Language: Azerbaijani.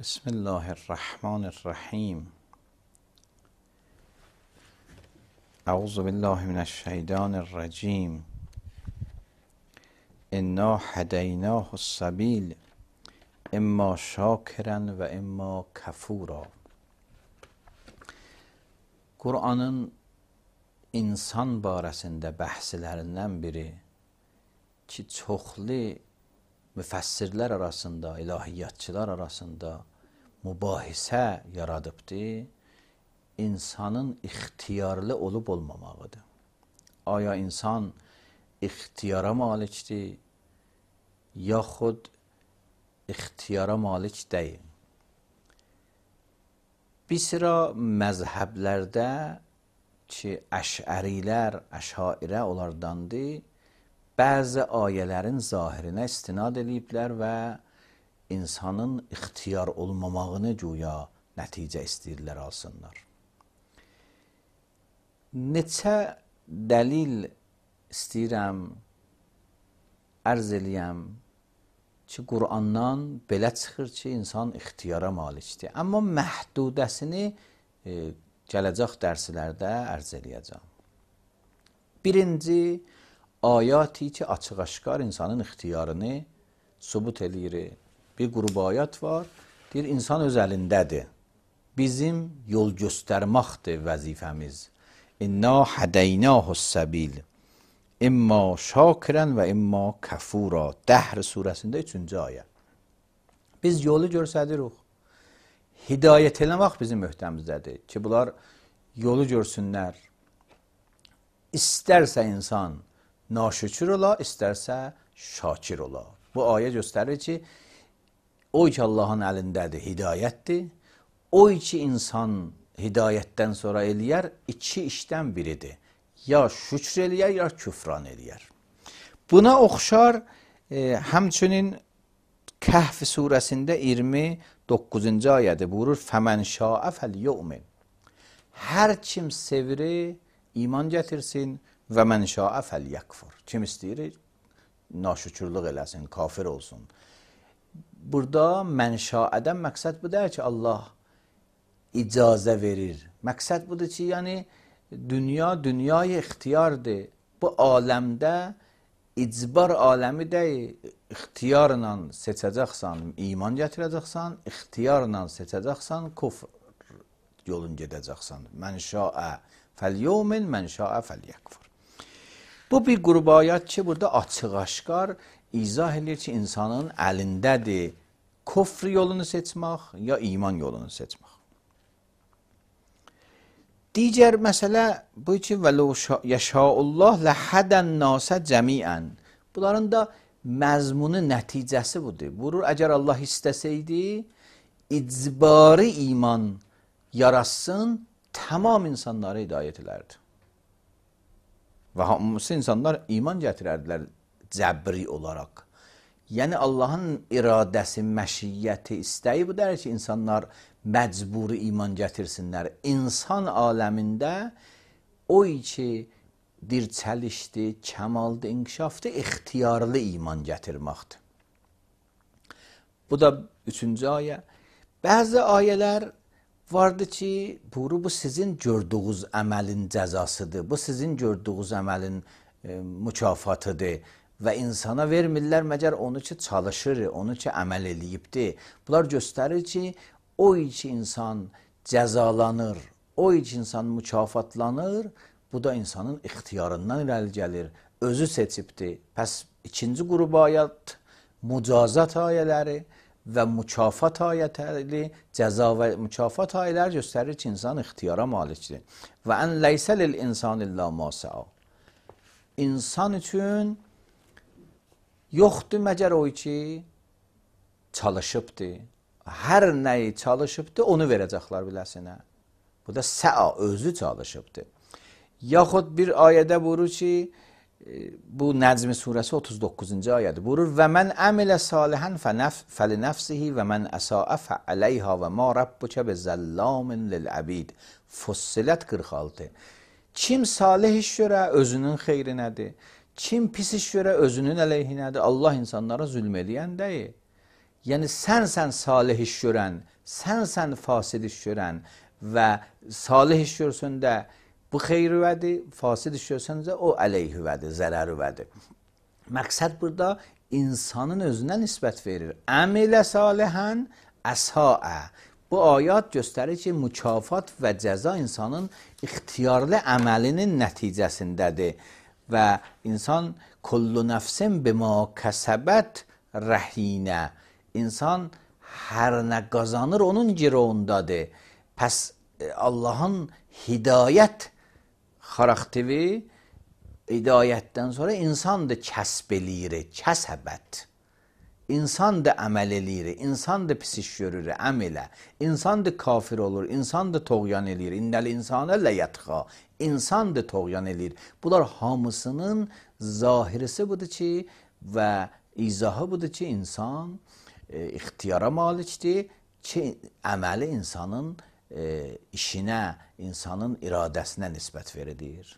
بسم الله الرحمن الرحیم. اعوذ بالله من الشیطان الرجیم. انا هدیناه السبیل اما شاکرا و اما کفورا. Qur'anın insan barəsində bəhslərindən biri ki, çoxlu müfəssirlər arasında, ilahiyyatçılar arasında mübahisə yaradıbdır, insanın ixtiyarlı olub olmamağıdır. Aya insan ixtiyara malikdir, yaxud ixtiyara malik deyil. Bir sıra məzhəblərdə ki, əşərilər, əşairə onlardandır, bəzi ayələrin zahirinə istinad ediblər və insanın ixtiyar olmamağını güya nəticə istəyirlər alsınlar. Neçə dəlil istəyirəm, ərz eləyəm ki, Qur'andan belə çıxır ki, insan ixtiyara malikdir. Amma məhdudəsini gələcək dərslərdə ərz eləyəcəm. Birinci, ayati ki, açıq-aşkar insanın ixtiyarını sübut eləyir. Bir qrup ayat var, deyir, insan öz əlindədir. Bizim yol göstərməkdir vəzifəmiz. İnna hədəynəhus-səbil. İmma şakirən və imma kəfura. Dəhr surəsində 3-cü ayə. Biz yolu görsədirik. Hidayət eləmək bizim möhtəmizdədir ki, bunlar yolu görsünlər. İstərsə insan naşükür ola, istərsə şakir ola. Bu ayə göstərir ki, o ki Allahın əlindədir, hidayətdir. O ki insan hidayətdən sonra eləyər, iki işdən biridir. Ya şükür eləyər, ya küfran eləyər. Buna oxşar həmçinin Kəhf surəsində 29-cu ayədə buyurur, Fəmən şaə fəlyu'min. Hər kim sevir, iman gətirsin və mən şaə fəlyəkfur. Kim istəyir, naşükürlük eləsin, kafir olsun. Burada mən şaədən məqsəd bu deyir ki, Allah icazə verir. Məqsəd budur ki, yəni dünyayı ixtiyardır. Bu aləmdə icbar aləmi deyil. İxtiyarla seçəcəksən, iman gətirəcəksən, ixtiyarla seçəcəksən, kufr yolun gedəcəksən. Mən şaə fəlyu'min, mən şaə fəlyəkfur. Bu bir qrup ayət ki, burada açıq-aşkar izah edir ki, insanın əlindədir kufr yolunu seçmək ya iman yolunu seçmək. Digər məsələ bu ki, vələ yəşaullah ləhədən nasə cəmiən. Bunların da məzmunu, nəticəsi budur. Buyurur, əgər Allah istəsəydi, icbari iman yaratsın, tamam insanları hidayət edərdi. Və hamısı insanlar iman gətirərdilər cəbri olaraq. Yəni Allahın iradəsi, məşiyyəti, istəyi bu deyir ki, insanlar məcburi iman gətirsinlər. İnsan aləmində o ki, dirçəlişdir, kəmaldır, inkişafdır, ixtiyarlı iman gətirməkdir. Bu da 3-cü ayə. Bəzi ayələr vardı ki, bu sizin gördüğünüz əməlin cəzasıdır, bu sizin gördüğünüz əməlin mükafatıdır və insana vermirlər məgər onu ki, çalışır, onu ki, əməl eləyibdir. Bunlar göstərir ki, o ki insan cəzalanır, o ki insan mükafatlanır, bu da insanın ixtiyarından irəli gəlir, özü seçibdir. Pəs ikinci qrup ayət mücazat ayələri və mükafat ayətləri, cəza və mükafat ayələri göstərir ki, insan ixtiyara malikdir. Və ən leysə lil insan illə ma sə'a. İnsan üçün yoxdur məgər o ki, çalışıbdır. Hər nəyi çalışıbdır, onu verəcəklər biləsinə. Bu da sə'a, özü çalışıbdır. Yaxud bir ayədə buyurur ki, bu Nəcm surəsi 39-cu ayədir. Buyurur, və mən əmilə salihən fəlinəfsihi və mən əsaə fəələyhə və ma rabbukə bezəllamin lil-əbid. Fussilət 46. Kim salih iş görə özünün xeyrinədir, kim pis iş görə özünün əleyhinədir. Allah insanlara zülm eləyən deyil. Yəni sənsən salih iş görən, sənsən fasid iş görən və salih iş görsəndə bu xeyr-üvədir, fasid iş görsəndə o əleyh-üvədir, zərər-üvədir. Məqsəd burada insanın özünə nisbət verir. Əmilə salihən əsaə. Bu ayat göstərir ki, mükafat və cəza insanın ixtiyarlı əməlinin nəticəsindədir və insan kullu nəfsin bima kəsəbət rəhinə. İnsan hər nə qazanır onun girovundadır. Pəs Allahın hidayət xarakteri, hidayətdən sonra insan da kəsb eləyir, kəsəbət. İnsan da əməl eləyir, insan da pis iş görür, əmələ. İnsan da kafir olur, insan da toğyan eləyir. İnnəl insanə ləyətxa. İnsan da toğyan eləyir. Bunlar hamısının zahirisi budur ki və izahı budur ki, insan ixtiyara malikdir ki, əməli insanın işinə, insanın iradəsinə nisbət verilir.